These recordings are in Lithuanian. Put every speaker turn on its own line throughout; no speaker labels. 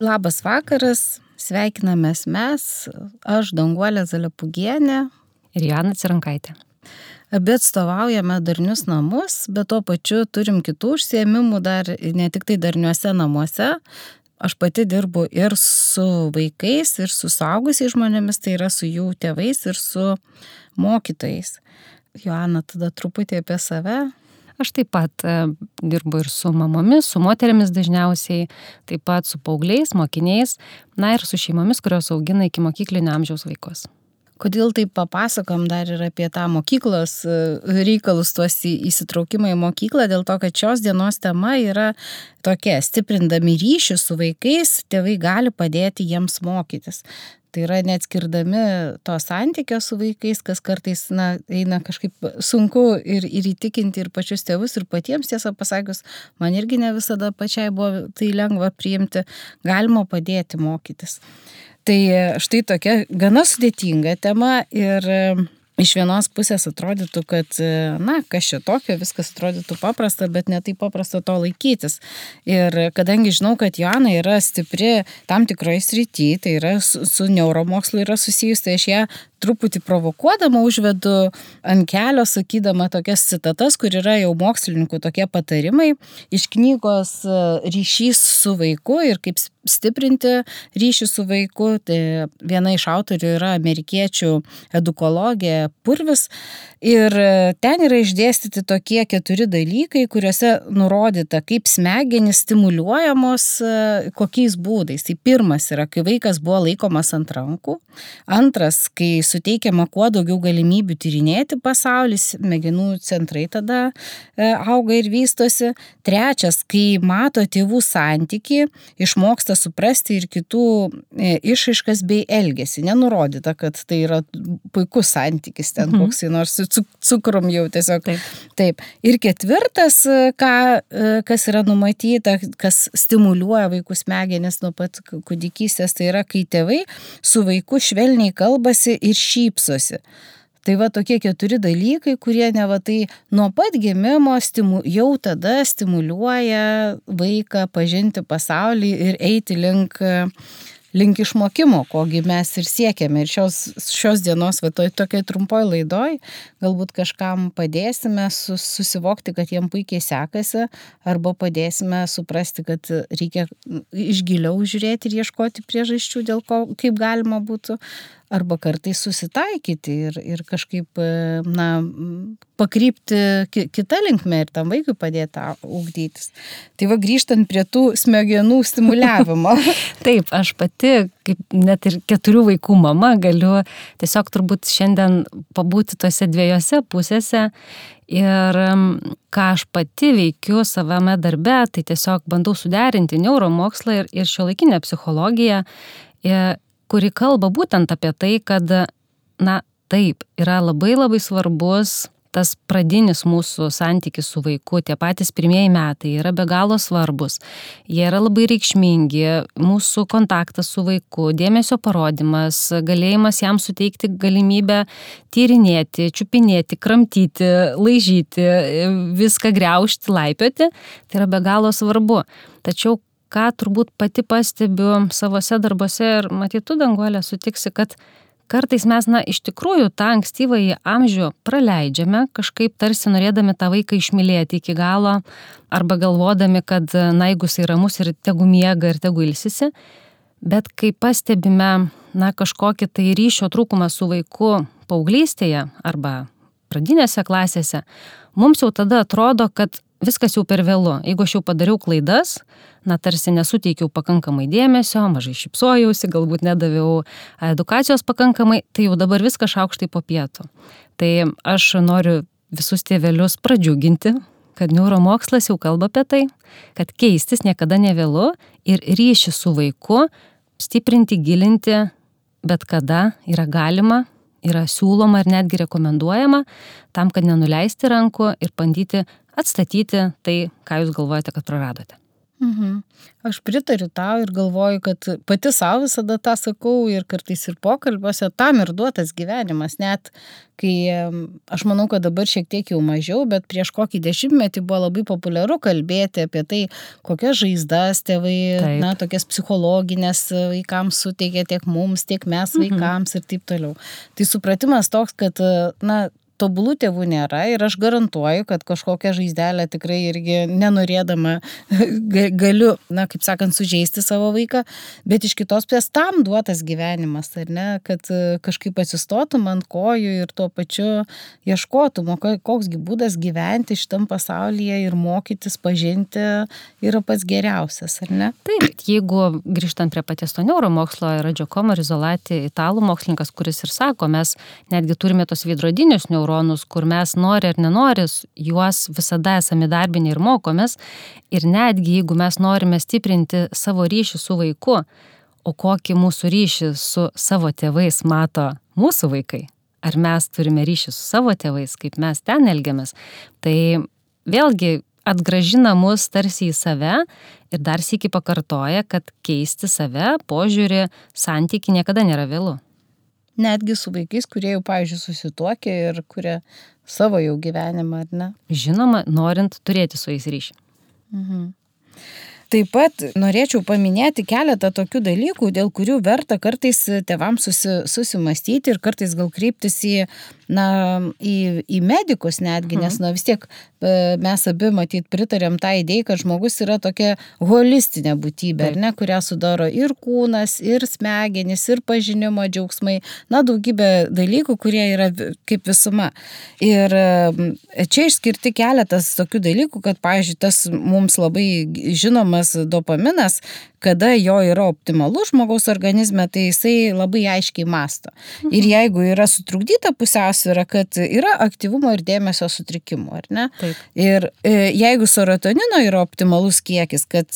Labas vakaras, sveikinamės mes, aš Danguolė Zalepūgienė.
Ir Joana Cirankaitė.
Abi atstovaujame darnius namus, bet tuo pačiu turim kitų užsiėmimų dar ne tik tai darniuose namuose. Aš pati dirbu ir su vaikais, ir su suaugusiais žmonėmis, tai yra su jų tėvais ir su mokytojais. Joana, tada truputį apie save.
Aš taip pat dirbu ir su mamomis, su moterimis dažniausiai, taip pat su paaugliais, mokiniais, ir su šeimomis, kurios augina iki mokyklinio amžiaus vaikus.
Kodėl taip papasakom dar ir apie tą mokyklos reikalus, tuos įsitraukimą į mokyklą, dėl to, kad šios dienos tema yra tokia: stiprindami ryšį su vaikais, tėvai gali padėti jiems mokytis. Tai yra neatskirdami to santykio su vaikais, kas kartais eina kažkaip sunku ir įtikinti ir pačius tėvus, ir patiems, tiesą pasakius, man irgi ne visada pačiai buvo tai lengva priimti, galima padėti mokytis. Tai štai tokia gana sudėtinga tema ir iš vienos pusės atrodytų, kad, kas čia tokio, viskas atrodytų paprasta, bet ne taip paprasta to laikytis. Ir kadangi žinau, kad Joana yra stipri tam tikroje srityje, tai yra su neuromokslu yra susijus, tai aš ją truputį provokuodama užvedu ant kelio, sakydama tokias citatas, kur yra jau mokslininkų tokie patarimai iš knygos Ryšys su vaiku ir kaip stiprinti ryšį su vaiku. Tai viena iš autorių yra amerikiečių edukologė Purvis ir ten yra išdėstyti tokie 4 dalykai, kuriuose nurodyta, kaip smegenys stimuliuojamos, kokiais būdais. Tai pirmas yra, kai vaikas buvo laikomas ant rankų. Antras, kai suteikiama kuo daugiau galimybių tyrinėti pasaulį, smegenų centrai tada auga ir vystosi. Trečias, kai mato tėvų santykį, išmoksta suprasti ir kitų išraiškas bei elgesį. Nenurodyta, kad tai yra puikus santykis ten, koksai nors su cukrum jau tiesiog. Taip. Ir ketvirtas, kas yra numatyta, kas stimuliuoja vaikų smegenis nuo pat kūdikystės, tai yra, kai tėvai su vaiku švelniai kalbasi ir šypsosi. Tai va tokie 4 dalykai, kurie tai nuo pat gimimo jau tada stimuliuoja vaiką pažinti pasaulį ir eiti link išmokimo, kogi mes ir siekiame. Ir šios dienos tokiai trumpoj laidoj galbūt kažkam padėsime susivokti, kad jiem puikiai sekasi, arba padėsime suprasti, kad reikia iš giliau žiūrėti ir ieškoti priežasčių, dėl ko, kaip galima būtų, arba kartais susitaikyti ir kažkaip, pakrypti kitą linkmę ir tam vaikui padėti ugdytis. Tai va, grįžtant prie tų smegenų stimuliavimo.
Taip, aš pati, kaip net ir 4 vaikų mama, galiu tiesiog turbūt šiandien pabūti tose 2 pusėse. Ir ką aš pati veikiu savame darbe, tai tiesiog bandau suderinti neuromokslą ir šiuolaikinę psichologiją, kuri kalba būtent apie tai, kad, taip, yra labai labai svarbus tas pradinis mūsų santykis su vaiku, tie patys pirmieji metai yra be galo svarbus, jie yra labai reikšmingi, mūsų kontaktas su vaiku, dėmesio parodimas, galėjimas jam suteikti galimybę tyrinėti, čiupinėti, kramtyti, laižyti, viską griaužti, laipioti, tai yra be galo svarbu. Tačiau ką turbūt pati pastebiu savose darbuose ir matytų, Danguolė, sutiksi, kad kartais mes, iš tikrųjų, tą ankstyvąjį amžių praleidžiame, kažkaip tarsi norėdami tą vaiką išmylėti iki galo, arba galvodami, kad, jeigu jisai ramus ir tegu miega ir tegu ilsisi, bet kai pastebime, kažkokį tai ryšio trūkumą su vaiku paauglystėje arba pradinėse klasėse, mums jau tada atrodo, kad viskas jau per vėlu. Jeigu aš jau padariau klaidas, tarsi nesuteikiau pakankamai dėmesio, mažai šypsojausi, galbūt nedaviau edukacijos pakankamai, tai jau dabar viskas šaukštai po pietų. Tai aš noriu visus tėvelius pradžiuginti, kad neuromokslas jau kalba apie tai, kad keistis niekada nevėlu ir ryšį su vaiku stiprinti, gilinti, bet kada yra galima, yra siūloma ir netgi rekomenduojama, tam, kad nenuleisti rankų ir bandyti atstatyti tai, ką jūs galvojate, kad praradote.
Aš pritariu tau ir galvoju, kad pati savo visada tą sakau ir kartais ir pokalbiuose, tam ir duotas gyvenimas. Net kai aš manau, kad dabar šiek tiek jau mažiau, bet prieš kokį 10 buvo labai populiaru kalbėti apie tai, kokias žaizdas tėvai, tokias psichologinės vaikams suteikia tiek mums, tiek mes vaikams ir taip toliau. Tai supratimas toks, kad, tobulų tėvų nėra ir aš garantuoju, kad kažkokią žaizdelę tikrai irgi nenorėdama galiu, kaip sakant, sužeisti savo vaiką, bet iš kitos pusės tam duotas gyvenimas, ar ne, kad kažkaip atsistotum ant kojų ir tuo pačiu ieškotum, koksgi būdas gyventi šitam pasaulyje ir mokytis, pažinti yra pats geriausias, ar ne?
Taip, jeigu grįžtant prie paties to neuromokslo, yra Giacomo Rizzolatti, italų mokslininkas, kuris ir sako, mes netgi turime tos veidrodinius neuronus, kur mes nori ar nenori, juos visada esame darbinė ir mokomės. Ir netgi jeigu mes norime stiprinti savo ryšį su vaiku, o kokį mūsų ryšį su savo tėvais mato mūsų vaikai, ar mes turime ryšį su savo tėvais, kaip mes ten elgiamės, tai vėlgi atgrąžina mus tarsi į save ir dar sykį pakartoja, kad keisti save, požiūrį, santykį niekada nėra vėlu.
Netgi su vaikais, kurie jau, pavyzdžiui, susituokė ir kurie savo jau gyvenimą, ar ne?
Žinoma, norint turėti su jais ryšį.
Taip pat norėčiau paminėti keletą tokių dalykų, dėl kurių verta kartais tėvams susimastyti ir kartais gal kreiptis į medikus netgi, nes vis tiek mes abi matyt pritarėm tą idėją, kad žmogus yra tokia holistinė būtybė, ar ne, kurią sudaro ir kūnas, ir smegenys, ir pažinimo džiaugsmai, daugybė dalykų, kurie yra kaip visuma. Ir čia išskirti keletas tokių dalykų, kad, pavyzdžiui, tas mums labai žinomas dopaminas, kada jo yra optimalus žmogaus organizme, tai jisai labai aiškiai mąsto. Ir jeigu yra sutrukdyta pusiausvyra, kad yra aktyvumo ir dėmesio sutrikimų, ar ne?
Taip.
Ir jeigu serotonino yra optimalus kiekis, kad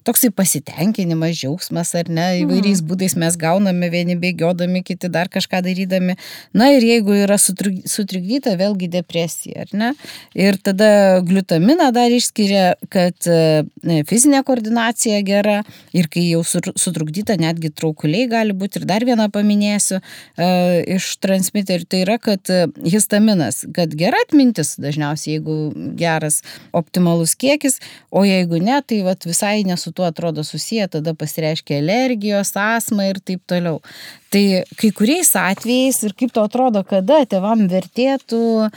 toksai pasitenkinimas, džiaugsmas, ar ne, įvairiais būdais mes gauname, vieni bėgiodami, kiti dar kažką darydami. Ir jeigu yra sutrikdyta, vėlgi depresija, ar ne? Ir tada gliutaminą dar išskiria, kad fizinė koordinacija gera. Ir kai jau sutrukdyta, netgi traukuliai gali būti. Ir dar vieną paminėsiu iš transmiterių, tai yra, kad histaminas, kad gera atmintis dažniausiai, jeigu geras optimalus kiekis, o jeigu ne, tai visai nesu tuo atrodo susiję, tada pasireiškia alergijos, astma ir taip toliau. Tai kai kuriais atvejais ir kaip to atrodo, kada tėvam vertėtų,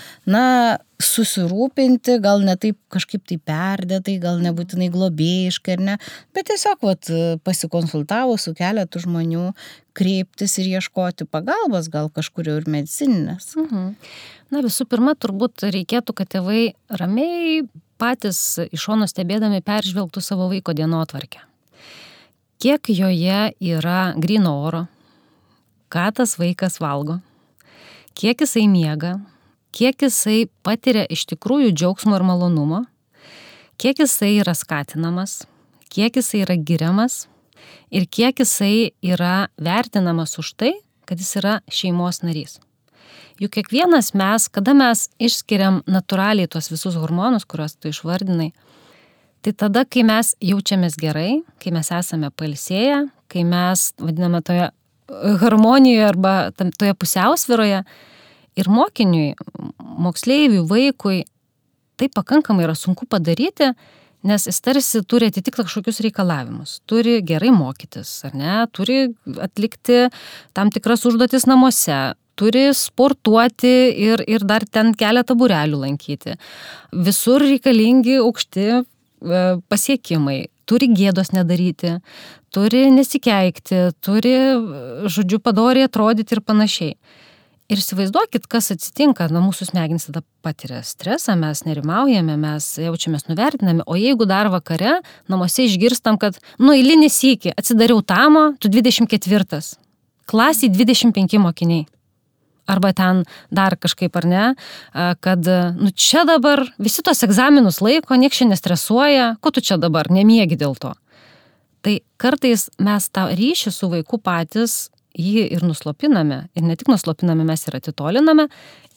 susirūpinti, gal ne taip kažkaip tai perdėtai, gal nebūtinai globėjiškai, ar ne, bet tiesiog pasikonsultavo su keletu žmonių, kreiptis ir ieškoti pagalbos, gal kažkurio ir medicininės.
Visų pirma, turbūt reikėtų, kad tėvai ramiai patys iš šono stebėdami peržvelgtų savo vaiko dienotvarkę. Kiek joje yra gryno oro, ką tas vaikas valgo, kiek jisai miega, kiek jisai patiria iš tikrųjų džiaugsmo ir malonumo, kiek jisai yra skatinamas, kiek jisai yra giriamas ir kiek jisai yra vertinamas už tai, kad jis yra šeimos narys. Juk kiekvienas mes, kada mes išskiriam natūraliai tuos visus hormonus, kuriuos tu išvardinai, tai tada, kai mes jaučiamės gerai, kai mes esame pailsėję, kai mes vadiname toje harmonijoje arba toje pusiausvyroje, ir mokiniui, moksleiviui, vaikui tai pakankamai yra sunku padaryti, nes jis tarsi turi atitikti kažkokius reikalavimus, turi gerai mokytis, ar ne, turi atlikti tam tikras užduotis namuose, turi sportuoti ir dar ten keletą būrelių lankyti. Visur reikalingi aukšti pasiekimai, turi gėdos nedaryti, turi nesikeikti, turi, padoriai atrodyti ir panašiai. Ir įsivaizduokit, kas atsitinka, mūsų smegenys tada patiria stresą, mes nerimaujame, mes jaučiamės nuvertinami, o jeigu dar vakare namuose išgirstam, kad eilinį sykį atsidariau tamą, tu 24, klasiai 25 mokiniai. Arba ten dar kažkaip, ar ne, kad čia dabar visi tos egzaminus laiko, nieks čia nestresuoja, ko tu čia dabar nemiegi dėl to. Tai kartais mes tą ryšį su vaiku patys jį ir nuslopiname, ir ne tik nuslopiname, mes ir atitoliname,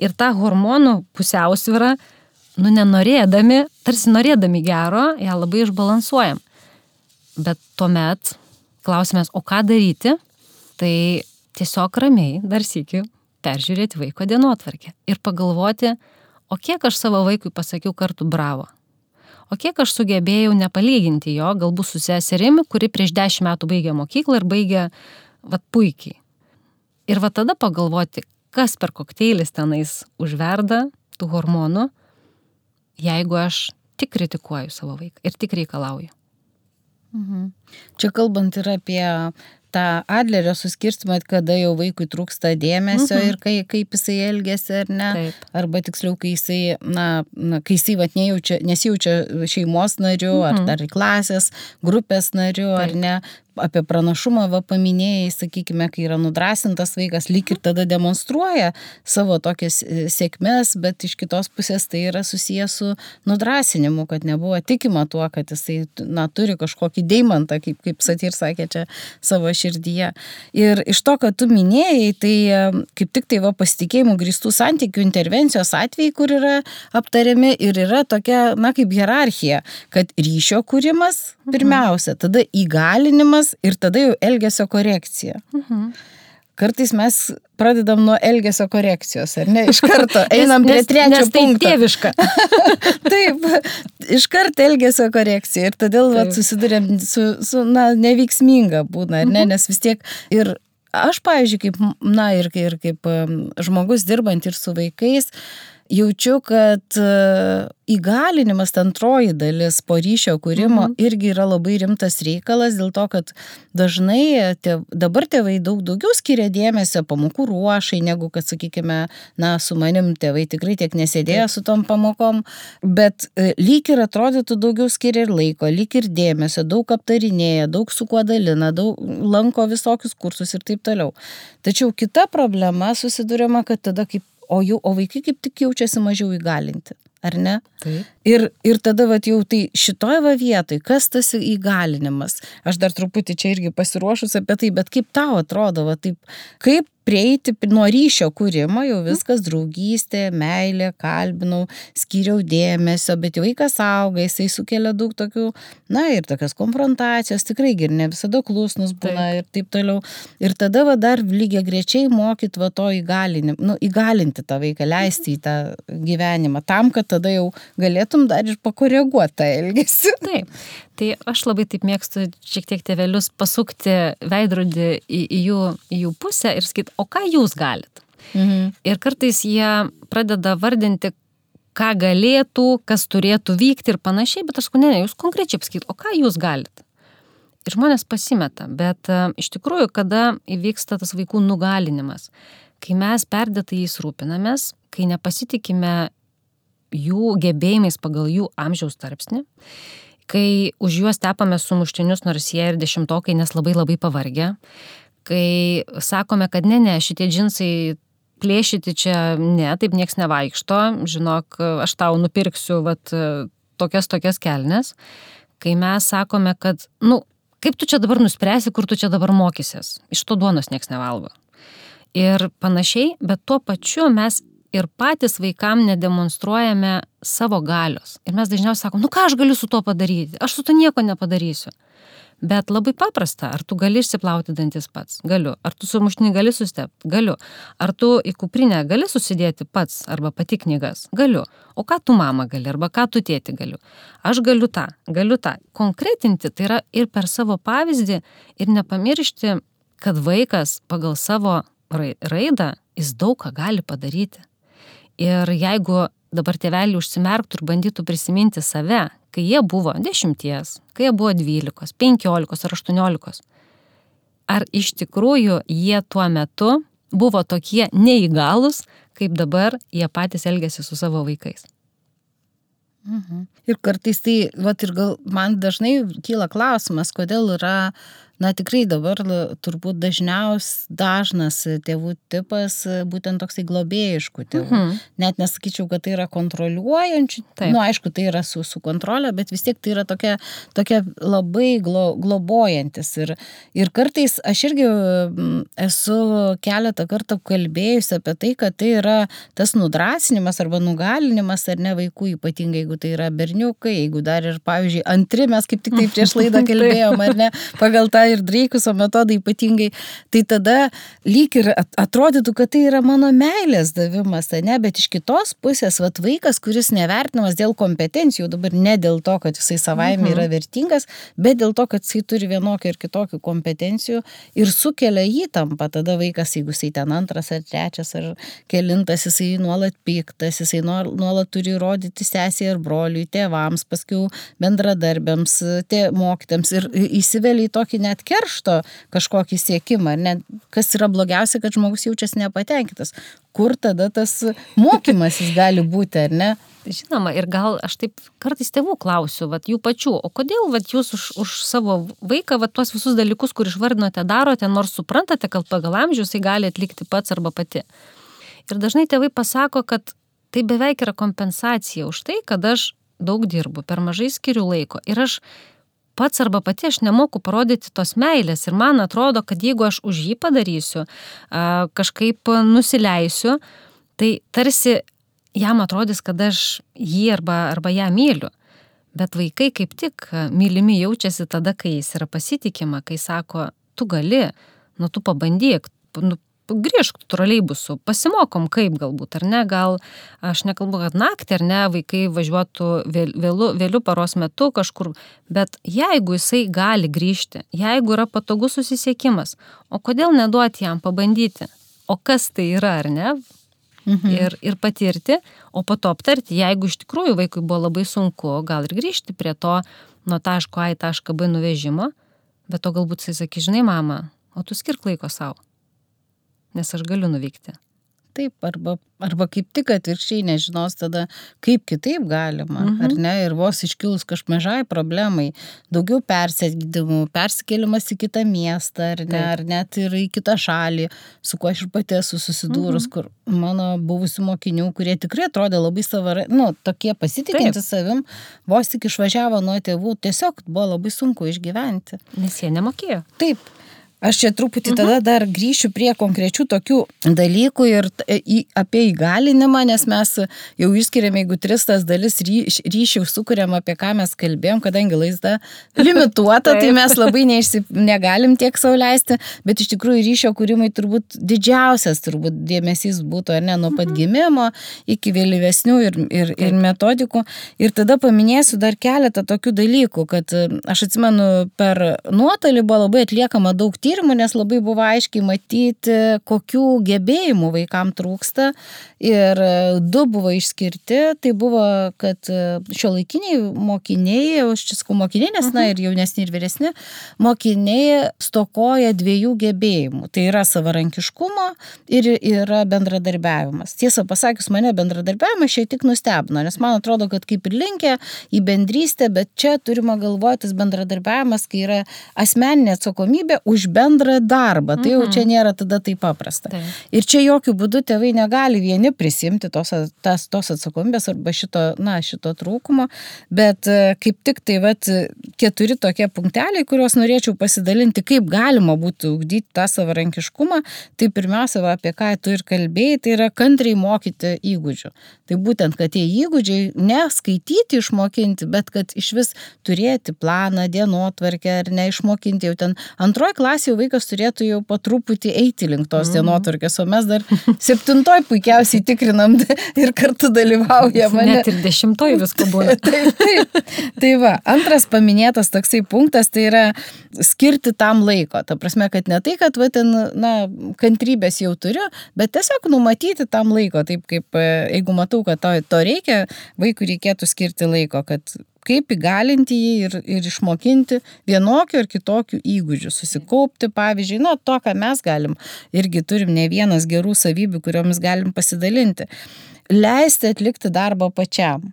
ir tą hormonų pusiausvyrą, nenorėdami, tarsi norėdami gero, ją labai išbalansuojam. Bet tuomet klausimas, o ką daryti, tai tiesiog ramiai dar sykį peržiūrėti vaiko dienotvarkę ir pagalvoti, o kiek aš savo vaikui pasakiau kartų bravo, o kiek aš sugebėjau nepalyginti jo, galbūt su seserimi, kuri prieš 10 metų baigė mokyklą ir baigė puikiai. Ir tada pagalvoti, kas per kokteilis tenais užverda tų hormonų, jeigu aš tik kritikuoju savo vaiką ir tik reikalauju.
Čia kalbant ir apie tą Adlerio suskirstimą, kada jau vaikui trūksta dėmesio ir kaip jisai elgiasi ar ne.
Taip.
Arba tiksliau, kai jisai, kai jisai nesijaučia šeimos nariu ar dar klasės, grupės nariu ar ne. Apie pranašumą paminėjai, sakykime, kai yra nudrasintas vaikas, lyg ir tada demonstruoja savo tokias sėkmes, bet iš kitos pusės tai yra susijęs su nudrasinimu, kad nebuvo tikima tuo, kad jisai turi kažkokį deimantą, kaip Satyr sakė čia savo širdyje. Ir iš to, kad tu minėjai, tai kaip tik tai pasitikėjimų grįstų santykių intervencijos atvejai, kur yra aptariami ir yra tokia, kaip hierarchija, kad ryšio kūrimas pirmiausia, tada įgalinimas ir tada jau elgesio korekcija. Kartais mes pradedam nuo elgesio korekcijos, ar ne? Iš karto einam prie trečio punkto.
Nes tai tėviška.
Taip, iš karto elgesio korekcija ir todėl susidurėm su neveiksminga būna, ar ne? Nes vis tiek ir aš, pavyzdžiui, kaip žmogus dirbant ir su vaikais, jaučiu, kad įgalinimas, antroji dalis po ryšio kūrimo irgi yra labai rimtas reikalas, dėl to, kad dažnai dabar tėvai daugiau skiria dėmesio pamokų ruošai, negu kad, sakykime, su manim tėvai tikrai tiek nesėdėjo su tom pamokom, bet lyg ir atrodytų daugiau skiria ir laiko, lyg ir dėmesio, daug aptarinėja, daug su kuo dalina, daug lanko visokius kursus ir taip toliau. Tačiau kita problema susiduriama, kad tada o vaikai kaip tik jaučiasi mažiau įgalinti, ar ne?
Taip.
Ir tada jau tai šitoj vietoj, kas tas įgalinimas? Aš dar truputį čia irgi pasiruošus apie tai, bet kaip tau atrodo, taip, kaip prieiti nuo ryšio kūrimo, jau viskas draugystė, meilė, kalbinau, skyriau dėmesio, bet jau vaikas auga, jisai sukelia daug tokių, ir tokios konfrontacijos, tikrai ir ne visada klusnus būna ir taip toliau. Ir tada dar lygiagrečiai mokyt to įgalinti tą vaiką, leisti į tą gyvenimą, tam, kad tada jau galėtum dar ir pakoreguoti tą elgesį.
Taip. Tai aš labai taip mėgstu šiek tiek tėvelius pasukti veidrodį į jų pusę ir sakyti, o ką jūs galit? Ir kartais jie pradeda vardinti, ką galėtų, kas turėtų vykti ir panašiai, bet aš sakau, ne, jūs konkrečiai pasakyti, o ką jūs galit? Ir žmonės pasimeta, bet iš tikrųjų, kada įvyksta tas vaikų nugalinimas, kai mes perdėtai jais rūpinamės, kai nepasitikime jų gebėjimais pagal jų amžiaus tarpsnį, kai už juos tepame sumuštinius, nors jie ir 10-okai, nes labai pavargę, kai sakome, kad ne, šitie džinsai plėšyti čia, ne, taip nieks nevaikšto, žinok, aš tau nupirksiu tokias kelnes, kai mes sakome, kad, kaip tu čia dabar nuspręsi, kur tu čia dabar mokysies, iš to duonos nieks nevalgo. Ir panašiai, bet tuo pačiu mes ir patys vaikam nedemonstruojame savo galios. Ir mes dažniausiai sakom, ką aš galiu su to padaryti? Aš su to nieko nepadarysiu. Bet labai paprasta, ar tu gali išsiplauti dantis pats? Galiu. Ar tu sumuštinį gali sustepti? Galiu. Ar tu į kuprinę gali susidėti pats arba pati knygas? Galiu. O ką tu mama gali arba ką tu tėti galiu? Aš galiu tą. Konkretinti tai yra ir per savo pavyzdį ir nepamiršti, kad vaikas pagal savo raidą jis daug ką gali padaryti. Ir jeigu dabar tėveliai užsimerktų ir bandytų prisiminti save, kai jie buvo 10, kai jie buvo 12, 15 ar 18, ar iš tikrųjų jie tuo metu buvo tokie neįgalūs, kaip dabar jie patys elgiasi su savo vaikais.
Ir kartais tai, ir gal man dažnai kyla klausimas, kodėl yra na tikrai dabar turbūt dažnas tėvų tipas būtent toksai globėjiškų tėvų. Net nesakyčiau, kad tai yra kontroliuojančių, aišku, tai yra su kontrolė, bet vis tiek tai yra tokia labai globojantis. Ir kartais aš irgi esu keletą kartų kalbėjusi apie tai, kad tai yra tas nudrasinimas arba nugalinimas ar ne vaikų, ypatingai jeigu tai yra berniukai, jeigu dar ir, pavyzdžiui, antri, mes kaip tik tai prieš laidą kalbėjom, ar ne, pagal tą ir Dreikuso metodą ypatingai, tai tada lyg ir atrodytų, kad tai yra mano meilės davimas, ne, bet iš kitos pusės, vaikas, kuris nevertinamas dėl kompetencijų, dabar ne dėl to, kad jisai savaime yra vertingas, bet dėl to, kad jisai turi vienokių ir kitokių kompetencijų ir sukelia įtampą, tada vaikas, jeigu jisai ten antras ar trečias ar kelintas, jisai nuolat piktas, jisai nuolat turi rodyti sesiai ar broliui, tėvams, paskui bendradarbiams, mokytams ir įsivelia į tokį net keršto kažkokį siekimą, ne, kas yra blogiausia, kad žmogus jaučiasi nepatenkintas. Kur tada tas mokymasis gali būti, ar ne?
Žinoma, ir gal aš taip kartais tėvų klausiu, jų pačių, o kodėl jūs už savo vaiką tuos visus dalykus, kur išvardinote, darote, nors suprantate, kad pagal amžių jisai gali atlikti pats arba pati. Ir dažnai tėvai pasako, kad tai beveik yra kompensacija už tai, kad aš daug dirbu, per mažai skiriu laiko ir aš pats arba pati aš nemoku parodyti tos meilės ir man atrodo, kad jeigu aš už jį padarysiu, kažkaip nusileisiu, tai tarsi jam atrodys, kad aš jį arba ją myliu. Bet vaikai kaip tik mylimi jaučiasi tada, kai jis yra pasitikima, kai sako, tu gali, tu pabandyk, grįžk troleibusu, pasimokom kaip galbūt, ar ne, gal aš nekalbu, kad naktį, ar ne, vaikai važiuotų vėliu paros metu kažkur, bet jeigu jisai gali grįžti, jeigu yra patogus susisiekimas, o kodėl neduoti jam pabandyti, o kas tai yra, ar ne, ir patirti, o po to aptarti, jeigu iš tikrųjų vaikui buvo labai sunku, gal ir grįžti prie to nuo taško A į tašką B nuvežimo, bet to galbūt jisai sakys, žinai, mama, o tu skirk laiko savo. Nes aš galiu nuvykti.
Taip, arba kaip tik atvirkščiai nežinos tada, kaip kitaip galima, ar ne, ir vos iškilus kažmažai problemai, daugiau persėdimų, persikėlimas į kitą miestą, ar ne, ar net ir į kitą šalį, su kuo aš ir pati esu susidūrus, kur mano buvusių mokinių, kurie tikrai atrodė labai tokie pasitikinti savim, vos tik išvažiavo nuo tėvų, tiesiog buvo labai sunku išgyventi.
Nes jie nemokėjo.
Taip. Aš čia truputį tada dar grįšiu prie konkrečių tokių dalykų ir apie įgalinimą, nes mes jau išskiriame, jeigu 3 tas dalis ryšių sukuriam, apie ką mes kalbėjom, kadangi laida limituota, tai mes labai negalim tiek sau leisti, bet iš tikrųjų ryšio kūrimai turbūt didžiausias dėmesys būtų, ar ne, nuo pat gimimo iki vėlyvesnių ir metodikų. Ir tada paminėsiu dar keletą tokių dalykų, kad aš atsimenu, per nuotolį buvo labai atliekama daug tyrimų, nes labai buvo aiškiai matyti, kokių gebėjimų vaikam trūksta ir 2 buvo išskirti, tai buvo, kad šiuolaikiniai mokiniai, aš čia sakau mokiniai, nes ir jaunesni ir vyresni, mokiniai stokoja 2 gebėjimų, tai yra savarankiškumo ir yra bendradarbiavimas. Tiesą pasakius, mane bendradarbiavimas šiek tiek nustebino, nes man atrodo, kad kaip ir linkę į bendrystę, bet čia turima galvoti tas bendradarbiavimas, kai yra asmeninė atsakomybė už bendrą darbą, tai jau čia nėra tada taip paprasta. Ir čia jokių būdų tėvai negali vieni prisimti tos atsakomybės arba šito trūkumo, bet kaip tik tai 4 tokie punkteliai, kuriuos norėčiau pasidalinti, kaip galima būtų ugdyti tą savarankiškumą, tai pirmiausia, apie ką tu ir kalbėjai, tai yra kantriai mokyti įgūdžių. Tai būtent, kad tie įgūdžiai neskaityti išmokinti, bet kad iš vis turėti planą, dienotvarkę ar neišmokinti jau ten 2 klasėje vaikas turėtų jau po truputį eiti link tos dienotvarkės, o mes dar 7 puikiausiai tikrinam ir kartu dalyvaujam.
Net ir 10 visko būna.
Taip. Tai va, antras paminėtas toksai punktas, tai yra skirti tam laiko. Ta prasme, kad ne tai, kad kantrybės jau turiu, bet tiesiog numatyti tam laiko. Taip kaip, jeigu matau, kad to reikia, vaikui reikėtų skirti laiko, kad kaip įgalinti jį ir išmokinti vienokių ir kitokių įgūdžių, susikaupti, pavyzdžiui, to, ką mes galim, irgi turim ne vienas gerų savybių, kuriomis galim pasidalinti. Leisti atlikti darbą pačiam.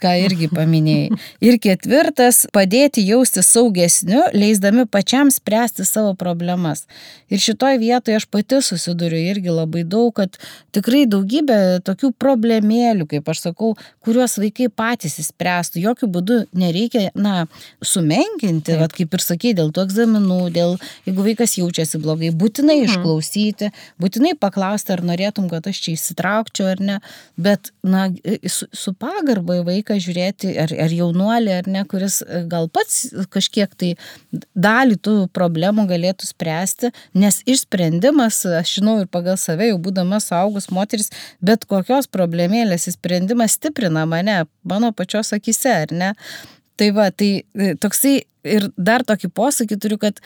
ką irgi paminėjai. Ir ketvirtas, padėti jausti saugesniu, leisdami pačiam spręsti savo problemas. Ir šitoj vietoje aš pati susiduriu irgi labai daug, kad tikrai daugybė tokių problemėlių, kaip aš sakau, kuriuos vaikai patys įspręstų. Jokių būdų nereikia, sumenkinti, vat, kaip ir sakei, dėl tų egzaminų, jeigu vaikas jaučiasi blogai, būtinai išklausyti, būtinai paklausti, ar norėtum, kad aš čia įsitraukčiau ar ne, bet, su pagarba į vaiką žiūrėti, ar jaunuolį, ar ne, kuris gal pats kažkiek tai dalį tų problemų galėtų spręsti, nes išsprendimas, aš žinau ir pagal save, jau būdama suaugus moteris, bet kokios problemėlės išsprendimas stiprina mane, mano pačios akise, ar ne? Tai va, tai toksai ir dar tokį posakį turiu, kad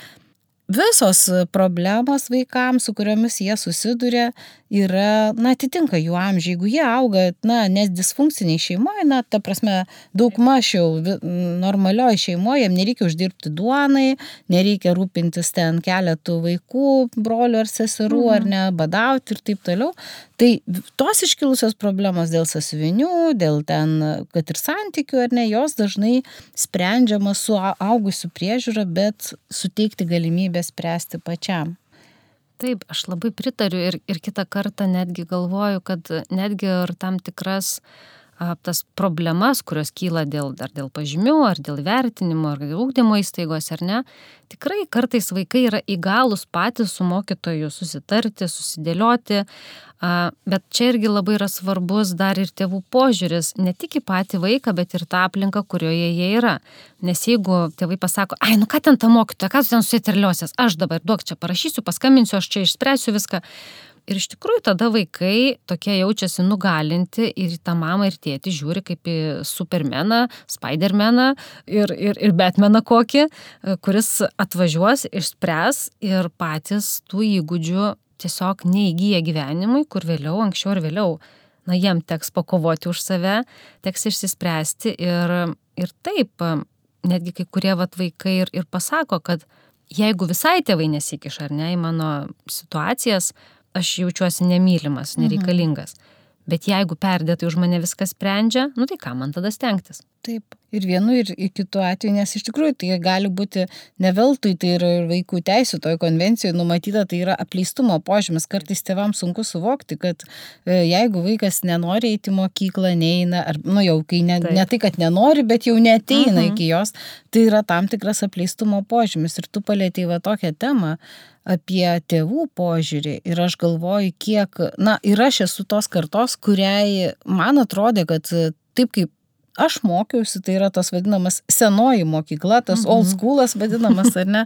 visos problemos vaikams, su kuriomis jie susiduria, yra, atitinka jų amžių. Jeigu jie auga, nes disfunkciniai šeimoje, ta prasme, daugmaž jau normalioje šeimoje, jiems nereikia uždirbti duonai, nereikia rūpintis ten keletų vaikų, brolių ar seserų, ar ne, badauti ir taip toliau. Tai tos iškilusios problemos dėl sąsiuvinių, dėl ten, kad ir santykių, ar ne, jos dažnai sprendžiamos su augusių priežiūra, bet suteikti galimybę spręsti pačiam.
Taip, aš labai pritariu ir kitą kartą netgi galvoju, kad netgi ir tam tikras tas problemas, kurios kyla dėl pažymių, ar dėl vertinimo, ar dėl ugdymo įstaigos, ar ne, tikrai kartais vaikai yra įgalūs patys su mokytoju susitarti, susidėlioti, bet čia irgi labai yra svarbus dar ir tėvų požiūris, ne tik į patį vaiką, bet ir tą aplinką, kurioje jie yra. Nes jeigu tėvai pasako, ką ten ta mokytoja, ką tu ten susiterliosies, aš dabar duok čia parašysiu, paskambinsiu, aš čia išspręsiu viską. Ir iš tikrųjų tada vaikai tokie jaučiasi nugalinti ir tą mamą ir tėtį žiūri kaip į Supermeną, Spidermeną ir Batmaną kokį, kuris atvažiuos, išspręs ir patys tų įgūdžių tiesiog neįgyja gyvenimui, kur vėliau, anksčiau ir vėliau, jiem teks pakovoti už save, teks išsispręsti ir taip, netgi kai kurie vaikai ir pasako, kad jeigu visai tėvai nesikiša ar ne į mano situacijas, aš jaučiuosi nemylimas, nereikalingas. Bet jeigu perdėtai už mane viskas sprendžia, tai ką man tada stengtis?
Taip. Ir vienu, ir kitu atveju, nes iš tikrųjų tai gali būti ne veltui, tai yra ir vaikų teisių toj konvencijoje numatyta, tai yra apleistumo požymis. Kartais tėvams sunku suvokti, kad jeigu vaikas nenori eiti į mokyklą, neina, ar jau kai ne tai, kad nenori, bet jau neateina iki jos, tai yra tam tikras apleistumo požymis. Ir tu palietei tokią temą apie tėvų požiūrį ir aš galvoju, kiek, ir aš esu tos kartos, kuriai man atrodė, kad taip kaip aš mokiausi, tai yra tas vadinamas senoji mokykla, tas old schoolas vadinamas, ar ne,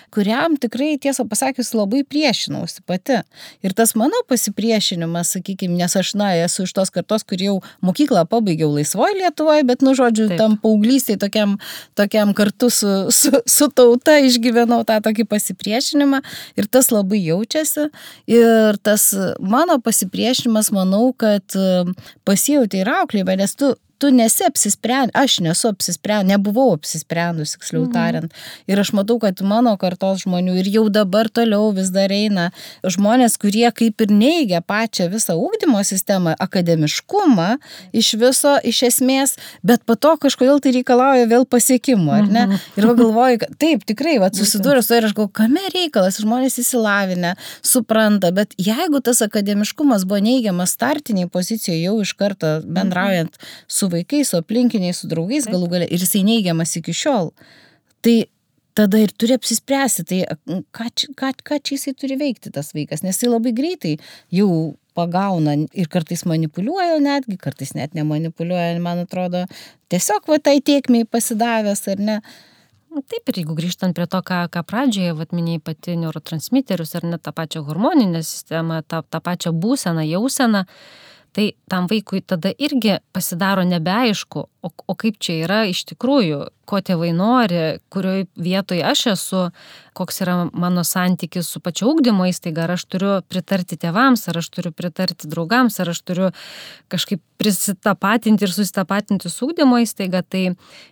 kuriam tikrai, tiesą pasakius, labai priešinausi pati. Ir tas mano pasipriešinimas, sakykime, nes aš, esu iš tos kartos, kur jau mokyklą pabaigiau laisvoje Lietuvoje, bet, tam paauglystėje tokiam kartu su tauta išgyvenau tą tokį pasipriešinimą ir tas labai jaučiasi. Ir tas mano pasipriešinimas, manau, kad pasijauti ir auklėjimą, nes tu nesi apsisprendęs, aš nesu apsisprendęs, nebuvau apsisprendus, tiksliau tariant. Ir aš matau, kad mano kartos žmonių ir jau dabar toliau vis dar eina žmonės, kurie kaip ir neigia pačią visą ugdymo sistemą, akademiškumą iš esmės, bet po to kažkodėl tai reikalauja vėl pasiekimų, ar ne? Ir galvoju, kad taip, tikrai, susidūręs su ir aš galvoju, kame reikalas, žmonės įsilavinę, supranta, bet jeigu tas akademiškumas buvo neigiamas startiniai pozicijoje jau iš karto bendraujant su vaikais, su aplinkiniais, su draugais galų gale ir jisai neigiamas iki šiol. Tai tada ir turi apsispręsti, tai ką čia jisai turi veikti tas vaikas, nes jisai labai greitai jau pagauna ir kartais manipuliuoja netgi, kartais net nemanipuliuoja, man atrodo, tiesiog tai tėkmei pasidavęs, ar ne?
Taip, ir jeigu grįžtant prie to, ką pradžioje minėjai pati neurotransmiterius, ar net tą pačią hormoninę sistemą, tą pačią būseną, jauseną, tai tam vaikui tada irgi pasidaro nebeaišku, o kaip čia yra iš tikrųjų, ko tėvai nori, kurioje vietoje aš esu, koks yra mano santykis su pačia ugdymo įstaiga, ar aš turiu pritarti tėvams, ar aš turiu pritarti draugams, ar aš turiu kažkaip prisitapatinti ir susitapatinti su ugdymo įstaiga, tai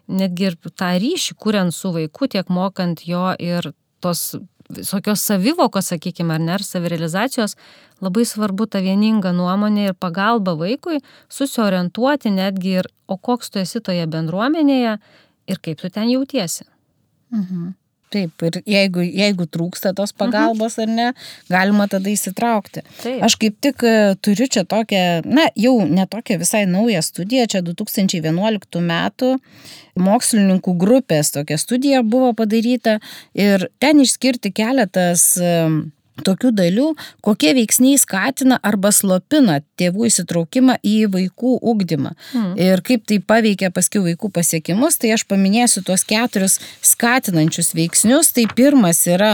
netgi ir tą ryšį kuriant su vaiku, tiek mokant jo ir tos visokios savivokos, sakykime, ar ne, ar savirealizacijos, labai svarbu ta vieninga nuomonė ir pagalba vaikui susiorientuoti netgi ir, o koks tu esi toje bendruomenėje ir kaip tu ten jautiesi.
Taip, ir jeigu trūksta tos pagalbos ar ne, galima tada įsitraukti.
Taip.
Aš kaip tik turiu čia tokią, jau ne tokią visai naują studiją, čia 2011 metų mokslininkų grupės tokia studija buvo padaryta ir ten išskirti keletas tokių dalių, kokie veiksniai skatina arba slopina tėvų įsitraukimą į vaikų ugdymą. Ir kaip tai paveikia paskiau vaikų pasiekimus, tai aš paminėsiu tuos 4 skatinančius veiksnius. Tai pirmas yra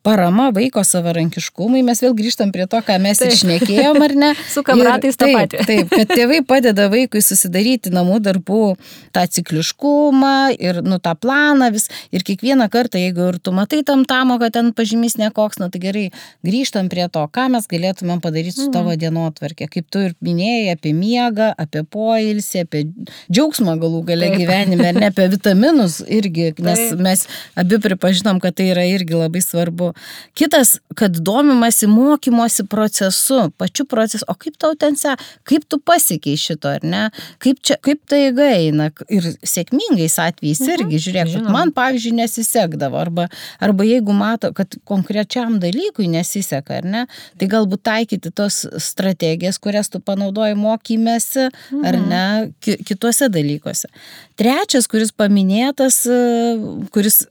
parama vaiko savarankiškumui. Mes vėl grįžtam prie to, ką mes ir šnekėjom, ar ne?
Su kamratais tą patį.
Taip, kad tėvai padeda vaikui susidaryti namų darbų tą cikliškumą ir tą planą vis. Ir kiekvieną kartą, jeigu ir tu matai tamtamo, kad ten pažymys nekoks, tai gerai, grįžtam prie to, ką mes galėtumėm padaryti su tavo dienotvarkė. Kaip tu ir minėjai apie miegą, apie poilsį, apie džiaugsmą galų gale gyvenime, ar ne apie vitaminus irgi, nes mes abi pripažinom, kad tai yra irgi labai svarbu. Kitas, kad domimasi mokymosi procesu, pačiu procesu, o kaip tau ten kaip tu pasiekiai šito, ar ne? Kaip tai eina ir sėkmingais atvejais irgi, žiūrėk, kad man, pavyzdžiui, nesisekdavo, arba jeigu mato, kad konkrečiam dalykui nesiseka, ar ne, tai galbūt taikyti tos strategijas, kurias tu panaudoji mokymėsi, ar ne, kituose dalykuose. Trečias, kuris paminėtas, kuris,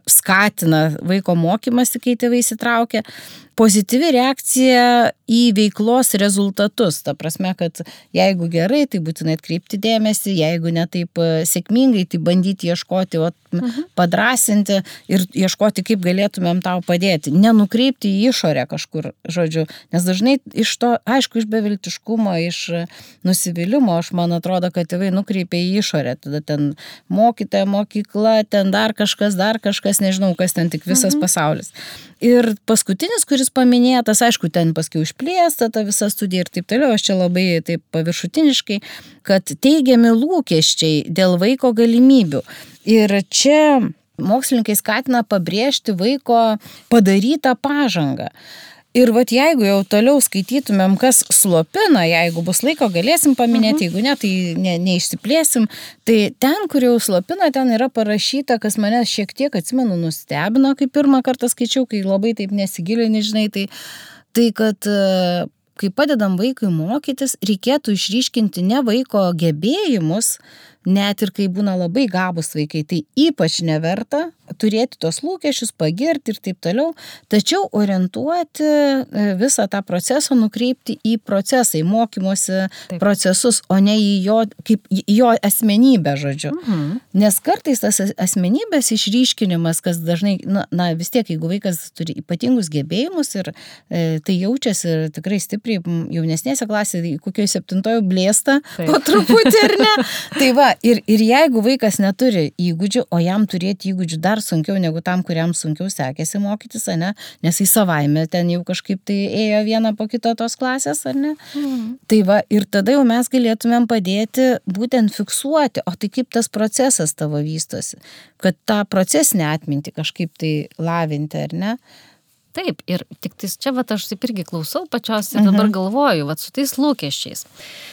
skatina vaiko mokymasi, kai tėvai įsitraukia, pozityvi reakcija į veiklos rezultatus. Ta prasme, kad jeigu gerai, tai būtinai atkreipti dėmesį, jeigu ne taip sėkmingai, tai bandyti ieškoti, padrasinti ir ieškoti, kaip galėtumėm tau padėti. Nenukreipti į išorę kažkur, žodžiu, nes dažnai iš to, aišku, iš beviltiškumo, iš nusivylimo, man atrodo, kad tėvai nukreipia į išorę. Tada ten mokytoja, mokykla, ten dar kažkas, nežinau, kas ten tik visas pasaulis. Ir paskutinis, kuris paminėtas, aišku, ten paskiau išplėsta ta visa studija ir taip toliau, aš čia labai taip paviršutiniškai, kad teigiami lūkesčiai dėl vaiko galimybių. Ir čia mokslininkai skatina pabrėžti vaiko padarytą pažangą. Ir jeigu jau toliau skaitytumėm, kas slopina, jeigu bus laiko, galėsim paminėti, jeigu ne, tai neišsiplėsim. Tai ten, kur jau slopina, ten yra parašyta, kas mane šiek tiek, atsimenu, nustebino, kai pirmą kartą skaičiau, kai labai taip nesigilini, žinai, tai kad kai padedam vaikui mokytis, reikėtų išryškinti ne vaiko gebėjimus, net ir kai būna labai gabūs vaikai, tai ypač neverta turėti tos lūkesčius, pagirti ir taip toliau, tačiau orientuoti visą tą procesą, nukreipti į procesą, į mokymosi procesus, o ne į jo asmenybę, žodžiu. Nes kartais tas asmenybės išryškinimas, kas dažnai, vis tiek, jeigu vaikas turi ypatingus gebėjimus ir tai jaučiasi ir tikrai stipriai jaunesnėse klasėje, kokioje 7 blėsta po truputį, ar ne? Tai ir jeigu vaikas neturi įgūdžių, o jam turėti įgūdžių dar sunkiau negu tam, kuriam sunkiau sekėsi mokytis, ar ne? Nes į savaime ten jau kažkaip tai ėjo viena po kito tos klasės, ar ne? Tai ir tada jau mes galėtumėm padėti būtent fiksuoti, o tai kaip tas procesas tavo vystosi, kad tą procesinę atmintį kažkaip tai lavinti, ar ne?
Taip, ir tik čia aš taip irgi klausau pačios ir dabar galvoju, su tais lūkesčiais.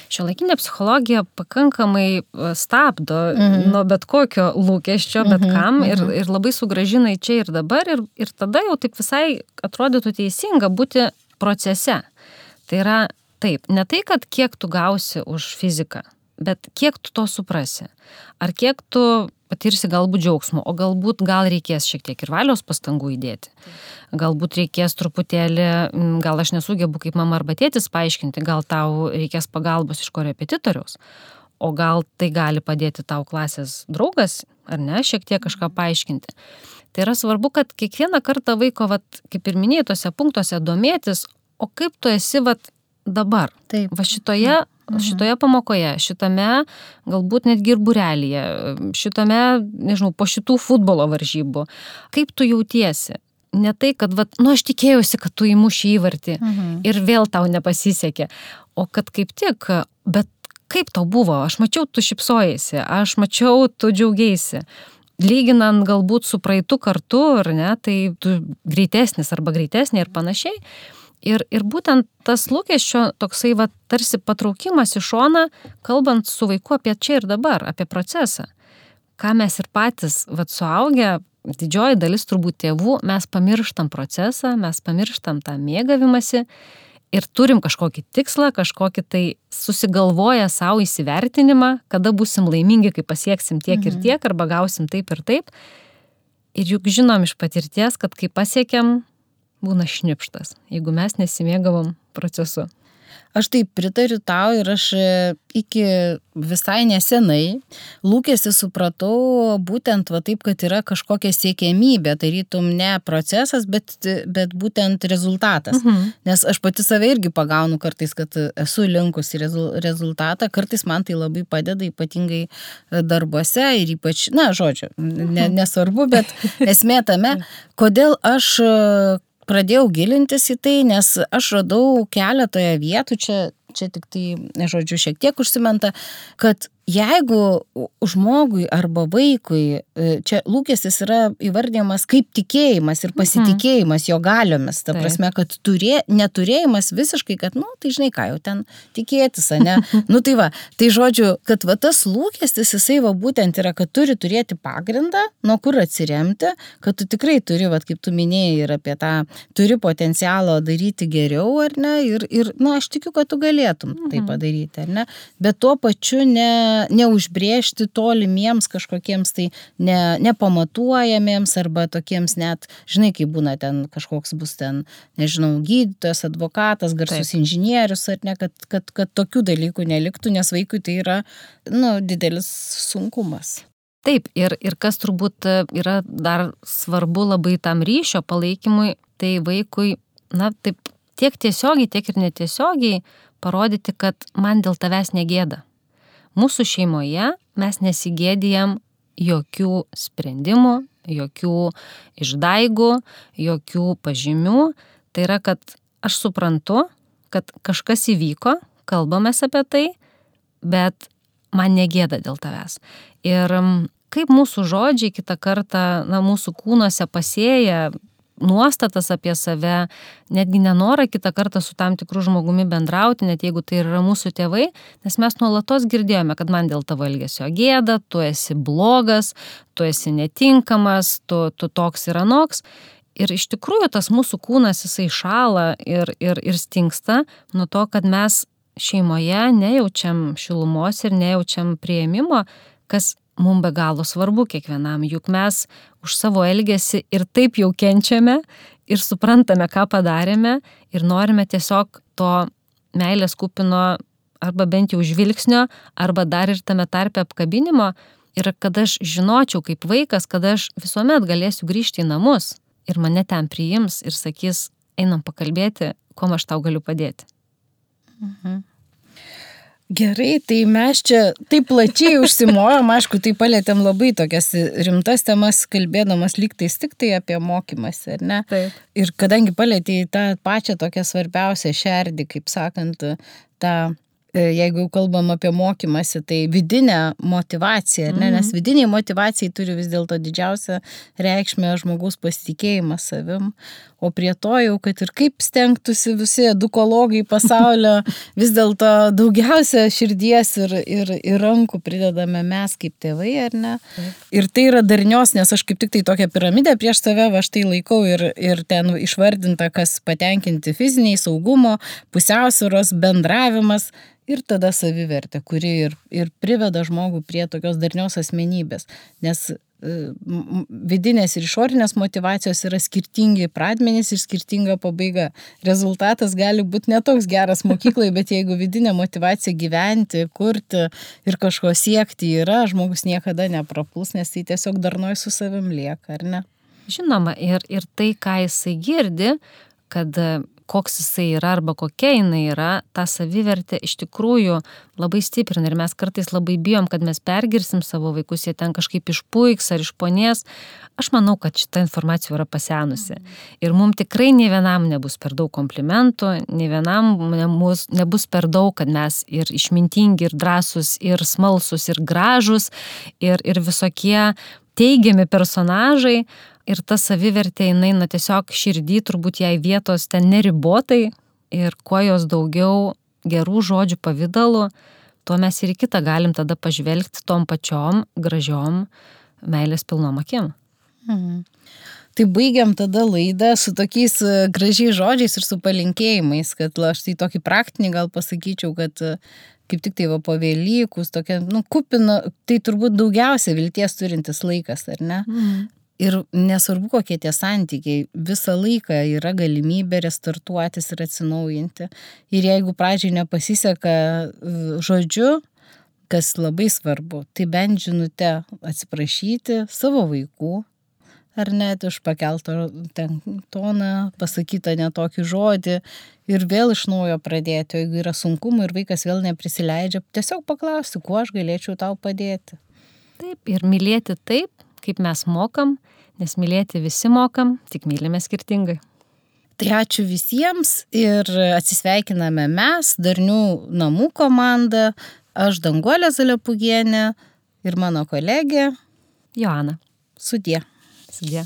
Šiuolaikinė psichologija pakankamai stabdo nuo bet kokio lūkesčio, bet kam, ir labai sugrąžina į čia ir dabar, ir tada jau taip visai atrodytų teisinga būti procese. Tai yra taip, ne tai, kad kiek tu gausi už fiziką, bet kiek tu to suprasi. Ar kiek tu patirsi galbūt džiaugsmo, o galbūt gal reikės šiek tiek ir valios pastangų įdėti. Galbūt reikės truputėlį, gal aš nesugebu kaip mama arba tėtis paaiškinti, gal tau reikės pagalbos iš korepetitoriaus, o gal tai gali padėti tau klasės draugas, ar ne, šiek tiek kažką paaiškinti. Tai yra svarbu, kad kiekvieną kartą vaiko, kaip ir minėjai, tose punktuose domėtis, o kaip tu esi dabar.
Taip.
Šitoje pamokoje, šitame galbūt netgi ir būrelyje, šitame, nežinau, po šitų futbolo varžybų. Kaip tu jautiesi? Ne tai, kad, aš tikėjausi, kad tu įmuši įvartį ir vėl tau nepasisekė, o kad kaip tik, bet kaip tau buvo? Aš mačiau, tu šypsojasi, aš mačiau, tu džiaugeisi. lyginant galbūt su praeitu kartu, ar ne, tai tu greitesnis arba greitesnė ir panašiai. Ir būtent tas lūkesčio toksai tarsi patraukimas į šoną, kalbant su vaiku apie čia ir dabar, apie procesą. Ką mes ir patys suaugę, didžioji dalis turbūt tėvų, mes pamirštam procesą, mes pamirštam tą mėgavimąsi ir turim kažkokį tikslą, kažkokį tai susigalvoję savo įsivertinimą, kada būsim laimingi, kai pasieksim tiek ir tiek, arba gausim taip ir taip. Ir juk žinom iš patirties, kad kai pasiekiam, būna šnipštas, jeigu mes nesimėgavom procesu.
Aš taip pritariu tau ir aš iki visai nesenai lūkestį supratau būtent taip, kad yra kažkokia siekiamybė, tarytum ne procesas, bet būtent rezultatas. Nes aš pati save irgi pagaunu kartais, kad esu linkusi rezultatą, kartais man tai labai padeda, ypatingai darbuose ir ypač, nesvarbu, bet esmė tame, kodėl aš pradėjau gilintis į tai, nes aš radau keletoje vietų, čia tik tai, šiek tiek užsimenta, kad jeigu žmogui arba vaikui, čia lūkestis yra įvardyjamas kaip tikėjimas ir pasitikėjimas jo galiomis, ta prasme, kad neturėjimas visiškai, kad, tai žinai ką, jau ten tikėtis, ne? Tai žodžiu, kad tas lūkestis, jisai būtent yra, kad turi turėti pagrindą, nuo kur atsiremti, kad tu tikrai turi, kaip tu minėjai, ir apie tą, turi potencialo daryti geriau, ar ne, ir aš tikiu, kad tu galėtum tai padaryti, ar ne, bet tuo pačiu neužbrėžti tolimiems kažkokiems tai nepamatuojamiems arba tokiems net, žinai, kaip būna ten kažkoks bus ten, nežinau, gydytojas, advokatas, garsus inžinierius, ar ne, kad tokių dalykų neliktų, nes vaikui tai yra, didelis sunkumas.
Taip, ir kas turbūt yra dar svarbu labai tam ryšio palaikymui, tai vaikui, taip, tiek tiesiogiai, tiek ir netiesiogiai parodyti, kad man dėl tavęs negėda. Mūsų šeimoje mes nesigėdijam jokių sprendimų, jokių išdaigų, jokių pažymių. Tai yra, kad aš suprantu, kad kažkas įvyko, kalbamės apie tai, bet man negėda dėl tavęs. Ir kaip mūsų žodžiai kitą kartą, mūsų kūnuose pasėja nuostatas apie save, netgi nenorą kitą kartą su tam tikru žmogumi bendrauti, net jeigu tai yra mūsų tėvai, nes mes nuolatos girdėjome, kad man dėl tavo elgesio gėda, tu esi blogas, tu esi netinkamas, tu toks ir anoks. Ir iš tikrųjų tas mūsų kūnas jisai šąla ir stingsta nuo to, kad mes šeimoje nejaučiam šilumos ir nejaučiam priėmimo, kas mums be galo svarbu kiekvienam, juk mes už savo elgesį ir taip jau kenčiame ir suprantame, ką padarėme ir norime tiesiog to meilės kupino arba bent jau žvilgsnio, arba dar ir tame tarpe apkabinimo ir kad aš žinočiau kaip vaikas, kad aš visuomet galėsiu grįžti į namus ir mane ten priims ir sakys, einam pakalbėti, kuom aš tau galiu padėti.
Gerai, tai mes čia taip plačiai užsimojom, aišku, tai palėtėm labai tokias rimtas temas, kalbėdamas lygtais tik tai apie mokymąsi, ar ne?
Taip.
Ir kadangi palėtė tą pačią tokią svarbiausią šerdį, kaip sakant, jeigu kalbam apie mokymąsi, tai vidinę motivaciją, ar ne? Nes vidiniai motivacijai turi vis dėlto didžiausią reikšmę žmogaus pasitikėjimas savim, o prie to jau, kad ir kaip stengtųsi visi edukologai pasaulio, vis dėlto daugiausia širdies ir rankų pridedame mes kaip tėvai, ar ne? Ir tai yra darnios, nes aš kaip tik tai tokią piramidę prieš save, aš tai laikau ir ten išvardinta, kas patenkinti fiziniai, saugumo, pusiausvyros, bendravimas ir tada savivertė, kuri ir priveda žmogų prie tokios darnios asmenybės, nes vidinės ir išorinės motivacijos yra skirtingi pradmenys ir skirtinga pabaiga. Rezultatas gali būti netoks geras mokyklai, bet jeigu vidinė motivacija gyventi, kurti ir kažko siekti yra, žmogus niekada neprapuls, nes tai tiesiog darnoj su savim lieka, ar ne?
Žinoma, ir tai, ką jisai girdi, kad koks jisai yra arba kokia jinai yra, ta savivertė iš tikrųjų labai stiprina ir mes kartais labai bijom, kad mes pergirsim savo vaikus, jie ten kažkaip išpuiks ar išponės. Aš manau, kad šita informacija yra pasenusi. Ir mums tikrai nei vienam nebus per daug komplimentų, nei vienam nebus per daug, kad mes ir išmintingi, ir drąsus, ir smalsus, ir gražus, ir visokie teigiami personažai ir ta savivertė jinai, tiesiog širdį turbūt jai vietos ten neribotai ir kuo jos daugiau gerų žodžių pavidalų, tuo mes ir į kitą galim tada pažvelgti tom pačiom gražiom meilės pilnom akim.
Tai baigiam tada laidą su tokiais gražiais žodžiais ir su palinkėjimais, kad aš tai tokį praktinį gal pasakyčiau, kad kaip tik tai po Velykus, tokia, kupina, tai turbūt daugiausia vilties turintis laikas, ar ne? Ir nesvarbu, kokie tie santykiai, visą laiką yra galimybė restartuotis ir atsinaujinti. Ir jeigu pradžiai nepasiseka žodžiu, kas labai svarbu, tai bent žinute atsiprašyti savo vaikų, ar net už pakeltą toną, pasakytą netokį žodį ir vėl iš naujo pradėti, o jeigu yra sunkumų ir vaikas vėl neprisileidžia, tiesiog paklausti, kuo aš galėčiau tau padėti.
Taip, ir mylėti taip, kaip mes mokam, nes mylėti visi mokam, tik mylime skirtingai.
Tai ačiū visiems ir atsisveikiname mes, Darnių namų komanda, aš Danguolė Zalepūgienė ir mano kolegė
Joana.
Sudie.
Sudie.